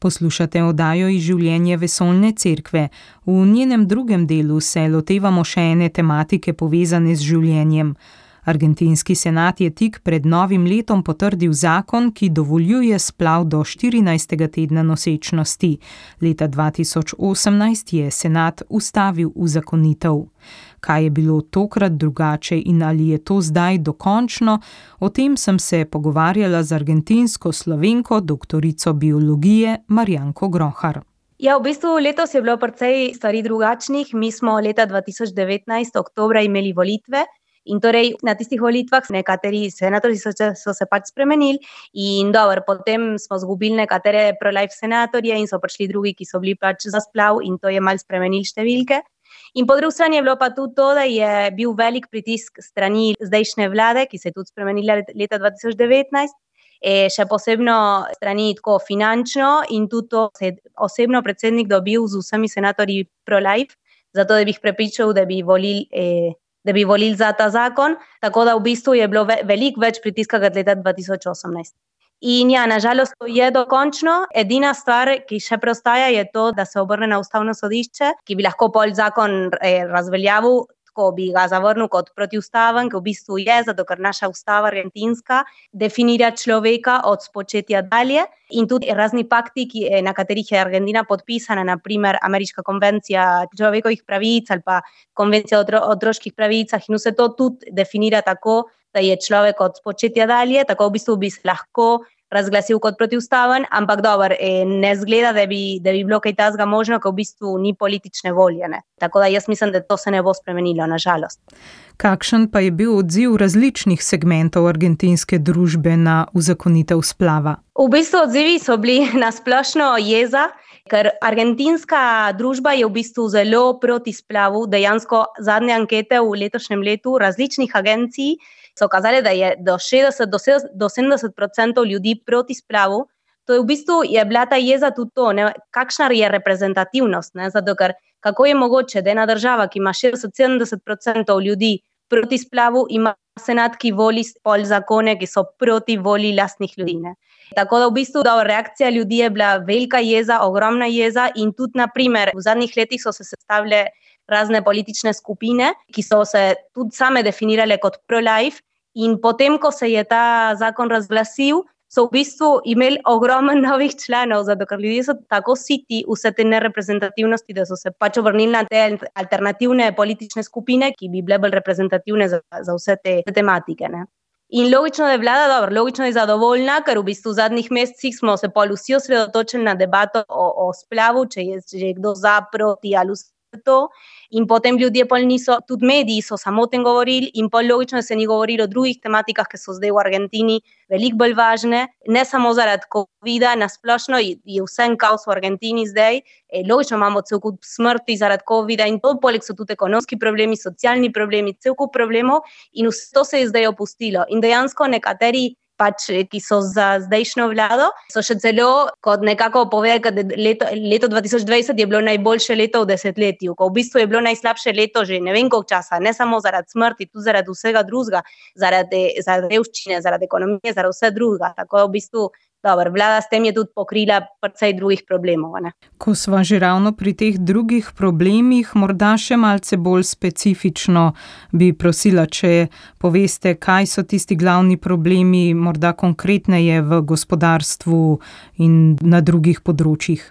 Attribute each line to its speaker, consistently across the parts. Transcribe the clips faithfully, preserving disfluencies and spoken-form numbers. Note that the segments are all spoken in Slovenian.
Speaker 1: Poslušate oddajo iz življenja Vesoljne cerkve. V njenem drugem delu se lotevamo še ene tematike povezane z življenjem. Argentinski senat je tik pred novim letom potrdil zakon, ki dovoljuje splav do štirinajstega tedna nosečnosti. Leta dva tisoč osemnajst je senat ustavil uzakonitev. Kaj je bilo tokrat drugače in ali je to zdaj dokončno? O tem sem se pogovarjala z argentinsko Slovenko, doktorico biologije Marjanko Grohar.
Speaker 2: Ja, v bistvu letos je bilo precej stvari drugačnih. Mi smo leta dva tisoč devetnajst oktobra imeli volitve in torej na tistih volitvah nekateri senatorji so, so se pač spremenili in dobro, potem smo zgubili nekatere pro-life senatorje in so prišli drugi, ki so bili pač za splav in to je malo spremenili številke. In po drugi strani je bilo pa tudi to, da je bil velik pritisk strani zdajšnje vlade, ki se je tudi spremenila leta dva tisoč devetnajst, e, še posebno strani tako finančno in tudi to se je osebno predsednik dobil z vsemi senatorji pro-life, zato da bi jih prepričal, da bi volili e, da bi volili za ta zakon, tako da v bistvu je bilo ve- veliko več pritiska kot leta dva tisoč osemnajst. In ja, nažalost to je dokončno. Edina stvar, ki še preostaja, je to, da se obrne na ustavno sodišče, ki bi lahko pol zakon eh, razveljavil, tako bi ga zavrnil kot protiustaven, ki v bistvu je, zato ker naša ustava argentinska definira človeka od spočetja dalje in tudi razni pakti, ki, na katerih je Argentina podpisana, na primer Ameriška konvencija človekovih pravic ali pa konvencija o otro- otroških pravicah in vse to tudi definira tako, da je človek od spočetja dalje, tako v bistvu bi se lahko razglasil kot protiustaven, ampak dobro, eh, ne zgleda, da bi, da bi bilo kaj takega možno, ker v bistvu ni politične volje. Ne. Tako da jaz mislim, da to se ne bo spremenilo, nažalost.
Speaker 1: Kakšen pa je bil odziv različnih segmentov argentinske družbe na uzakonitev splava?
Speaker 2: V bistvu odzivi so bili na splošno jeza, ker argentinska družba je v bistvu zelo proti splavu. Dejansko zadnje ankete v letošnjem letu različnih agencij so kazali, da je do šestdeset do sedemdeset procentov ljudi proti splavu. To je v bistvu je bila ta jeza tudi to, ne, kakšna je reprezentativnost, ne, zato ker kako je mogoče, da ena država, ki ima šestdeset do sedemdeset procentov ljudi proti splavu, ima senat, ki voli pol zakone, ki so proti volji lastnih ljudi. Ne. Tako da v bistvu da reakcija ljudi je bila velika jeza, ogromna jeza in tudi na primer v zadnjih letih so se sestavile razne politične skupine, ki so se tudi same definirale kot pro-life in potem, ko se je ta zakon razglasil, so v bistvu imeli ogromen novih članov, zato ker ljudje so tako siti vse te nereprezentativnosti, da so se pač obrnili na te alternativne politične skupine, ki bi bile bolj reprezentativne za, za vse te tematike. Ne. In logično, da je vlada, dobro, logično je zadovoljna, ker v bistvu v zadnjih mesecih smo se pol vsi osredotočili na debato o, o splavu, če je, če je kdo za, proti ali vse to. In potem ljudje pol niso, tudi mediji so samo o tem govorili in pol logično se ni govorilo o drugih tematikah, ki so zdaj v Argentini veliko bolj važne, ne samo zaradi covida, nasplošno je vse en kaos v Argentini zdaj, e, logično imamo cel kup smrti zaradi covida in to, poleg so tudi ekonomski problemi, socialni problemi, cel kup problemov in vse to se je zdaj opustilo. In dejansko nekateri pač, ki so za zdajšnjo vlado, so še celo kot nekako povedali, da leto, leto dva tisoč dvajset je bilo najboljše leto v desetletju, ko v bistvu je bilo najslabše leto že ne vem koliko časa, ne samo zaradi smrti, tudi zaradi vsega drugega, zaradi, zaradi revščine, zaradi ekonomije, zaradi vse drugega. Tako v bistvu dobro, vlada s tem je tudi pokrila precej drugih problemov. Ne.
Speaker 1: Ko sva že ravno pri teh drugih problemih, morda še malce bolj specifično bi prosila, če poveste, kaj so tisti glavni problemi, morda konkretneje v gospodarstvu in na drugih področjih.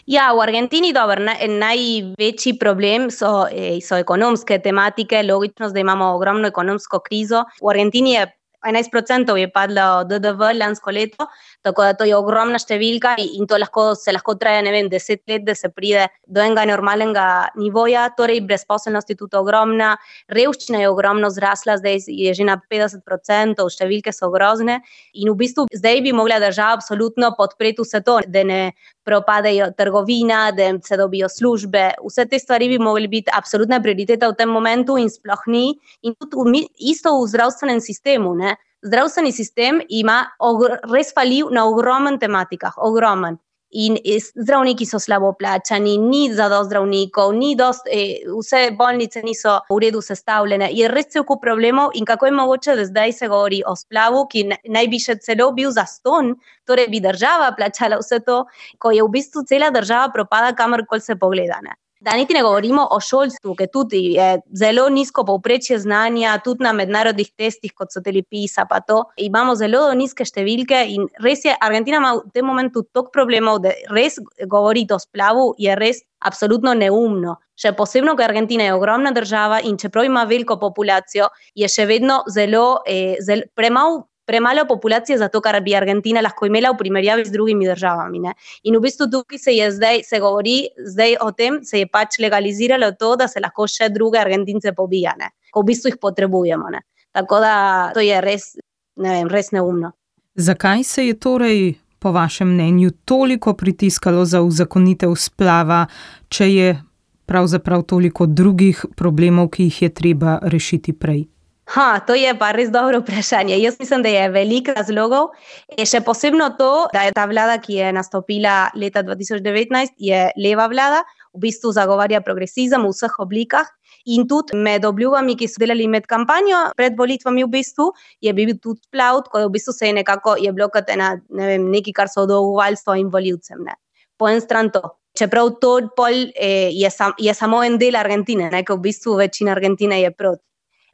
Speaker 2: Ja, v Argentini dobro, naj, največji problem so, so ekonomske tematike, logično, da imamo ogromno ekonomsko krizo. V Argentini je enajst procentov je padlo D D V lansko leto, tako da to je ogromna številka in to lahko, se lahko traja, ne vem, deset let, da se pride do enega normalnega nivoja, torej brezposelnost je tudi ogromna, revščina je ogromno zrasla, zdaj je že na petdeset procentov, številke so grozne in v bistvu zdaj bi mogla država absolutno podpreti vse to, da ne propadejo trgovina, da se dobijo službe, vse te stvari bi mogli biti absolutna prioriteta v tem momentu in sploh ni. In tudi isto v zdravstvenem sistemu, ne. Zdravstveni sistem ima ogr- res faljiv na ogromen tematikah, ogromen. in zdravniki so slabo plačani, ni zadost zdravnikov, ni dost, eh, vse bolnice niso v redu sestavljene. Je res cel kup problemov in kako je mogoče, da zdaj se govori o splavu, ki naj bi še celo bil zastonj, torej bi država plačala vse to, ko je v bistvu cela država propada, kamorkoli se pogleda, ne. Da niti ne govorimo o šolstvu, ki tudi je zelo nizko povprečje znanja, tudi na mednarodnih testih, kot so teli PISA pa to, imamo zelo nizke številke in res je, Argentina ima v tem momentu toliko problemov, da res govoriti o splavu je res absolutno neumno. Še posebno, ker Argentina je ogromna država in čeprav ima veliko populacijo, je še vedno zelo, eh, zelo premalo premalo populacije za to, kar bi Argentina lahko imela v primerjavi z drugimi državami, ne. In v bistvu tukaj se je zdaj, se govori zdaj o tem, se je pač legaliziralo to, da se lahko še druge Argentince pobija, ne. Ko v bistvu jih potrebujemo, ne. Tako da to je res, ne vem, res neumno.
Speaker 1: Zakaj se je torej po vašem mnenju toliko pritiskalo za uzakonitev splava, če je pravzaprav toliko drugih problemov, ki jih je treba rešiti prej?
Speaker 2: Ha, to je pa res dobro vprašanje. Jaz mislim, da je veliko razlogov. Je še posebno to, da je ta vlada, ki je nastopila leta dva tisoč devetnajst, je leva vlada, v bistvu zagovarja progresizem v vseh oblikah in tudi med obljubami, ki so delali med kampanjo, pred volitvami v bistvu, je bil tudi splav, ko je v bistvu se je nekako, je bilo kot ena, ne vem, nekaj, kar so dolgovali svojim volivcem, ne. Po en stran to. Čeprav to pol eh, je, sam, je samo en del Argentine, ne, ko v bistvu večina Argentine je proti.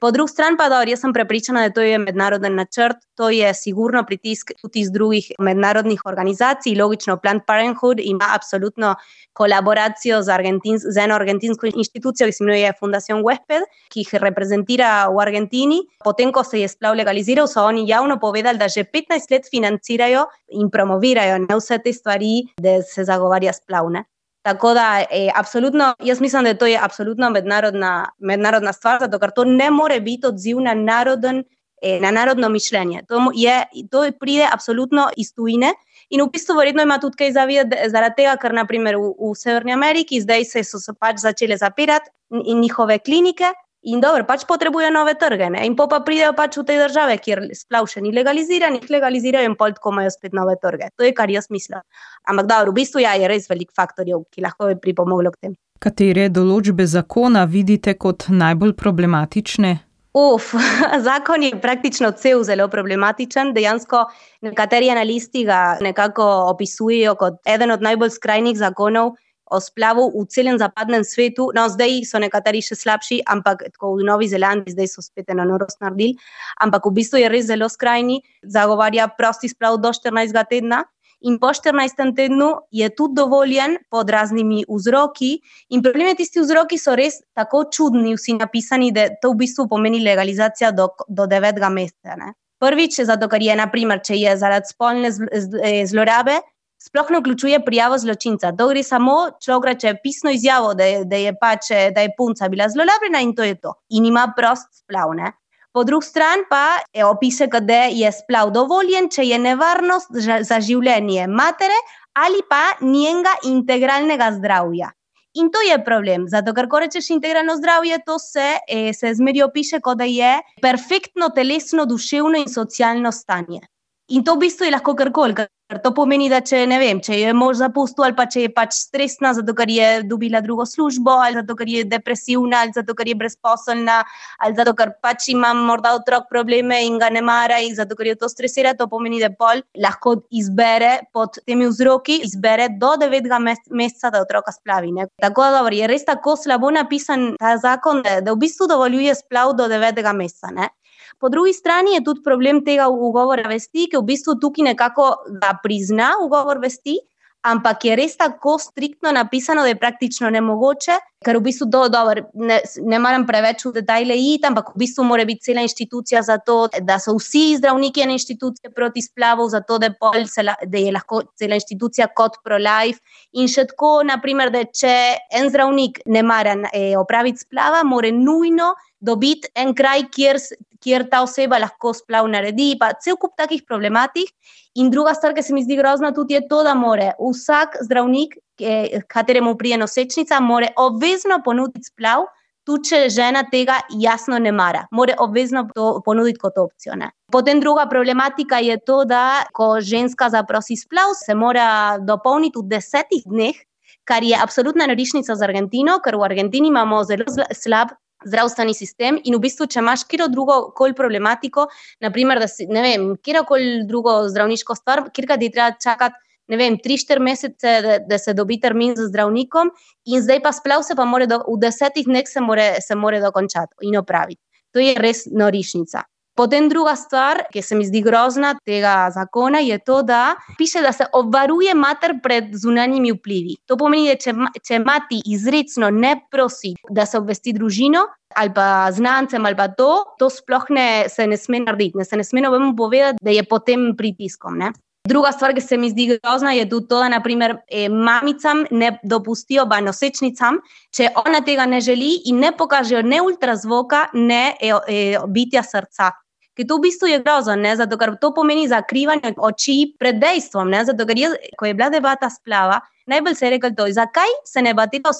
Speaker 2: Po drugi strani pa, dobro, jaz sem prepričana, da to je mednaroden načrt, to je sigurno pritisk tudi iz drugih mednarodnih organizacij, logično Planned Parenthood ima absolutno kolaboracijo z, Argentins, z eno argentinsko inštitucijo, ki se imenuje Fundación Huésped, ki jih reprezentira v Argentini. Potem, ko se je splav legaliziral, so oni javno povedali, da že petnajst let financirajo in promovirajo, ne, vse te stvari, da se zagovarja splav, ne. Tako da, eh, absolutno, jaz mislim, da to je absolutno mednarodna, mednarodna stvar, zato ker to ne more biti odziv na, naroden, eh, na narodno mišljenje. To, je, to pride absolutno iz tujine in v bistvu verjetno ima tudi kaj zavedati zaradi tega, ker naprimer v, v Severni Ameriki zdaj se so se pač začele zapirati in njihove klinike in dobro, pač potrebujejo nove trge, ne? In po pa pridejo pač v te države, kjer splav še ni legaliziran, jih legalizirajo in pol tako imajo spet nove trge. To je, kar jaz mislim. Ampak dobro, v bistvu ja, je res veliko faktorjev, ki lahko bi pripomoglo k tem.
Speaker 1: Katere določbe zakona vidite kot najbolj problematične?
Speaker 2: Uf, zakon je praktično cel zelo problematičen. Dejansko nekateri analisti ga nekako opisujejo kot eden od najbolj skrajnih zakonov o splavu v celem zapadnem svetu. No, zdaj so nekateri še slabši, ampak tako v Novi Zelandiji zdaj so spet eno norost naredili, ampak v bistvu je res zelo skrajni, zagovarja prosti splav do štirinajstega tedna in po štirinajstem tednu je tudi dovoljen pod raznimi vzroki in problem je, tisti vzroki so res tako čudni vsi napisani, da to v bistvu pomeni legalizacija do, do devetega meseca, ne. Prvič, zato ker je, naprimer, če je zaradi spolne zlorabe, sploh ne vključuje prijavo zločinca. To gre samo, človek reče pisno izjavo, da je, da je pač, da je punca bila zlorabljena in to je to. In ima prost splav, ne. Po drugi strani pa je opiše, da je splav dovoljen, če je nevarnost za življenje matere ali pa njenega integralnega zdravja. In to je problem, zato ker ko rečeš integralno zdravje, to se, eh, se zmeri opiše, kot da je perfektno telesno, duševno in socialno stanje. In to v bistvu je lahko karkoli, ker to pomeni, da če, ne vem, če je mož zapustil ali pa če je pač stresna, zato ker je dobila drugo službo ali zato ker je depresivna ali zato ker je brezposelna ali zato ker pač ima morda otrok probleme in ga ne mara in zato ker je to stresira, to pomeni, da pol lahko izbere pod temi vzroki, izbere do devetega meseca, da otroka splavi, ne. Tako da dobro, je res tako slabo napisan ta zakon, da, da v bistvu dovoljuje splav do devetega meseca, ne. Po drugi strani je tudi problem tega ugovora vesti, ki v bistvu tukaj nekako ga prizna ugovor vesti, ampak je res tako striktno napisano, da je praktično nemogoče, ker v bistvu do, dobro, ne, ne maram preveč v detajle iti, ampak v bistvu mora biti cela inštitucija za to, da so vsi zdravniki ene inštitucije proti splavu, zato da, pol se, da je lahko cela inštitucija kot pro-life in še tako, naprimer, da če en zdravnik ne mara eh, opraviti splava, mora nujno dobiti en kraj, kjer, kjer ta oseba lahko splav naredi, pa cel kup takih problematik. In druga stvar, ki se mi zdi grozna tudi, je to, da more vsak zdravnik, kateremu prije nosečnica, more obvezno ponuditi splav tuče žena tega jasno ne mara. Mora obvezno to ponuditi kot opcijo. Ne? Potem druga problematika je to, da ko ženska zaprosi splav, se mora dopolniti v desetih dneh, kar je absolutna norišnica za Argentino, ker v Argentini imamo zelo slab zdravstveni sistem in v bistvu, če imaš kjer drugo kol problematiko, naprimer, da si, ne vem, kjer kol drugo zdravniško stvar, kjer ti treba čakati, ne vem, tri štiri mesece, da, da se dobi termin z zdravnikom in zdaj pa splav se pa more do, v desetih dneh se more, se more dokončati in opraviti. To je res norišnica. Potem druga stvar, ki se mi zdi grozna tega zakona, je to, da piše, da se obvaruje mater pred zunanjimi vplivi. To pomeni, da če, če mati izrecno ne prosi, da se obvesti družino ali pa znancem ali pa to, to sploh ne, se ne sme narediti, ne se ne sme novemu povedati, da je pod tem pritiskom. Ne? Druga stvar, ki se mi zdi grozna, je tudi to, da naprimer eh, mamicam ne dopustijo, pa nosečnicam, če ona tega ne želi in ne pokažejo ne ultrazvoka, ne eh, eh, bitja srca. Ker to v bistvu je grozno, ne? Zato ker to pomeni zakrivanje oči pred dejstvom, ne? Zato ker je, ko je bila debata splava, najbolj se je rekel to, zakaj se ne debatira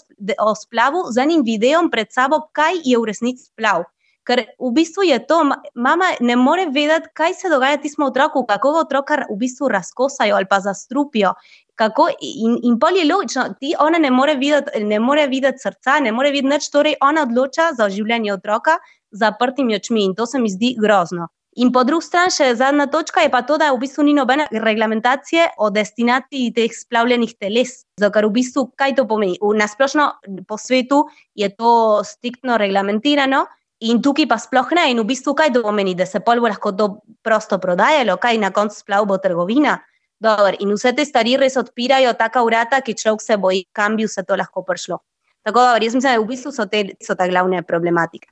Speaker 2: o splavu z enim videom pred sabo, kaj je v resnici splav. Ker v bistvu je to, mama ne more vedeti, kaj se dogaja tismo otroku, kako ga otroka v bistvu razkosajo ali pa zastrupijo. Kako, in, in pol je logično, ti ona ne more videti, ne more videti srca, ne more videti nič, torej ona odloča za življenje otroka z zaprtimi očmi in to se mi zdi grozno. In po drugi strani še zadnja točka je pa to, da v bistvu ni nobene reglamentacije o destinaciji teh splavljenih teles. Zato, ker v bistvu, kaj to pomeni? Nasplošno po svetu je to striktno reglamentirano in tukaj pa sploh ne. In v bistvu, kaj to pomeni? Da se pol bo lahko to prosto prodajalo, kaj na koncu splav bo trgovina? Dobar. In vse te stvari res odpirajo taka vrata, ki človek se boji, kam bi vse to lahko prišlo. Tako da, jaz mislim, da v bistvu so te, so te glavne problematike.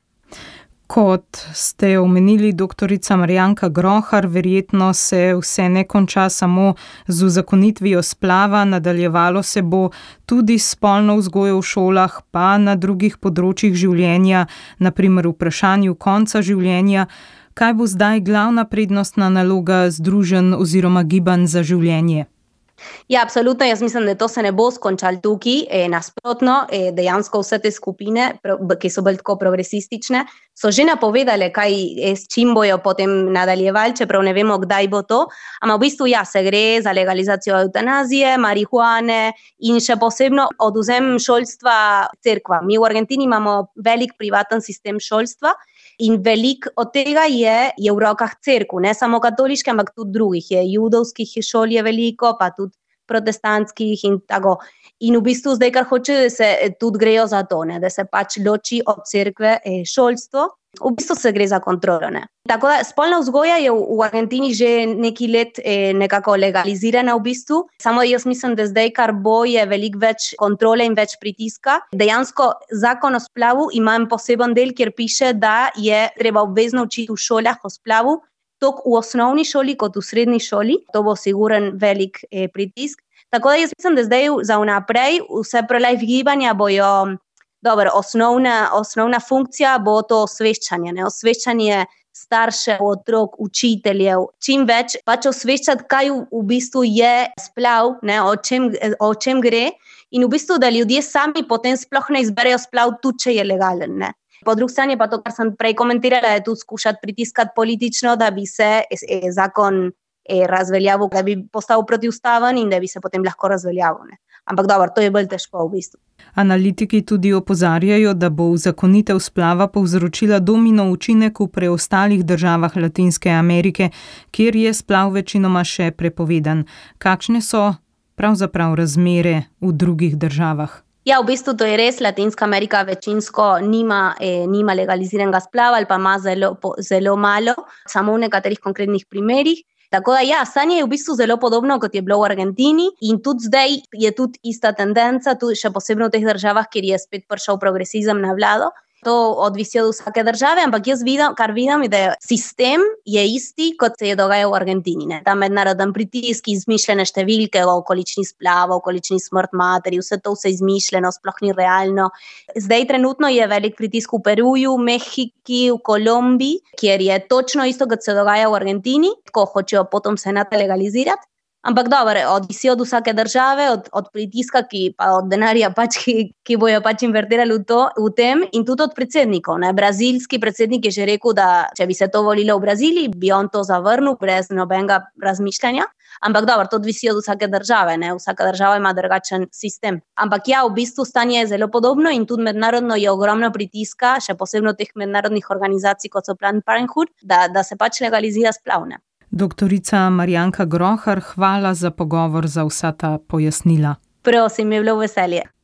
Speaker 1: Kot ste omenili, doktorica Marjanka Grohar, verjetno se vse ne konča samo z uzakonitvijo splava, nadaljevalo se bo tudi s spolno vzgojo v šolah, pa na drugih področjih življenja, na primer v vprašanju konca življenja. Kaj bo zdaj glavna prednostna naloga združenj oziroma gibanj za življenje?
Speaker 2: Ja, absolutno, jaz mislim, da to se ne bo skončalo tukaj, e, nasprotno, e, dejansko vse te skupine, ki so bolj tako progresistične, so že napovedale, kaj, e, s čim bojo potem nadaljevali, čeprav ne vemo, kdaj bo to, ampak v bistvu ja, se gre za legalizacijo eutanazije, marihuane in še posebno odvzem šolstva cerkva. Mi v Argentini imamo velik privaten sistem šolstva in velik od tega je, je v rokah cerkv, ne samo katoliške, ampak tudi drugih. Je judovskih šol je veliko, pa tudi protestantskih in tako. In v bistvu zdaj, kar hoče, da se tudi grejo za to, ne, da se pač loči od cerkve eh, šolstvo. V bistvu se gre za kontrolo. Ne. Tako da spolna vzgoja je v, v Argentini že nekaj let eh, nekako legalizirana v bistvu. Samo jaz mislim, da zdaj, kar bo, je veliko več kontrole in več pritiska. Dejansko zakon o splavu ima poseben del, kjer piše, da je treba obvezno učiti v šolah o splavu, tako v osnovni šoli kot v srednji šoli. To bo siguren velik eh, pritisk. Tako da jaz mislim, da zdaj za vnaprej vse prelive gibanja bojo, dobro, osnovna, osnovna funkcija bo to osveščanje, ne? Osveščanje staršev, otrok, učiteljev, čim več pač osveščati, kaj v, v bistvu je splav, ne? O čem, o čem gre in v bistvu, da ljudje sami potem sploh ne izberejo splav, tudi če je legalen, ne? Po drugi strani pa to, kar sem prej komentirala, je tudi skušati pritiskati politično, da bi se e, zakon e, razveljavil, da bi postal protiustaven in da bi se potem lahko razveljavil. Ne? Ampak dobro, to je bolj težko v bistvu.
Speaker 1: Analitiki tudi opozarjajo, da bo uzakonitev splava povzročila domino učinek v preostalih državah Latinske Amerike, kjer je splav večinoma še prepovedan. Kakšne so pravzaprav razmere v drugih državah?
Speaker 2: Ja, v bistvu to je res, Latinska Amerika večinsko nima, eh, nima legaliziranega splava ali pa ima zelo, po, zelo malo, samo v nekaterih konkretnih primerih. Tako da ja, stanje je v bistvu zelo podobno, kot je bilo v Argentini in tudi zdaj je tudi ista tendenca, tudi še posebno v teh državah, kjer je spet prišel progresizem na vlado. To odvisi od vsake države, ampak jaz vidim, kar vidim, je, da je sistem je isti, kot se je dogajal v Argentini. Ne? Ta mednaroden pritisk, izmišljene številke o količini splava, o količini smrt materi, vse to vse izmišljeno, sploh ni realno. Zdaj trenutno je velik pritisk v Peruju, Mehiki, v Kolumbiji, kjer je točno isto, kot se dogaja v Argentini, ko hočejo potom senat legalizirati. Ampak dobro, odvisi od vsake države, od, od pritiska, ki pa od denarja, pač, ki, ki bojo pač invertirali v, to, v tem, in tudi od predsednikov. Ne. Brazilski predsednik je že rekel, da če bi se to volilo v Braziliji, bi on to zavrnil brez nobenega razmišljanja. Ampak dobro, to odvisi od vsake države, ne. Vsaka država ima drugačen sistem. Ampak ja, v bistvu stanje je zelo podobno in tudi mednarodno je ogromno pritiska, še posebno teh mednarodnih organizacij, kot so Planned Parenthood, da, da se pač legalizira splavne.
Speaker 1: Doktorica Marjanka Grohar, hvala za pogovor, za vsa ta pojasnila.
Speaker 2: Prosim, je bilo veselje.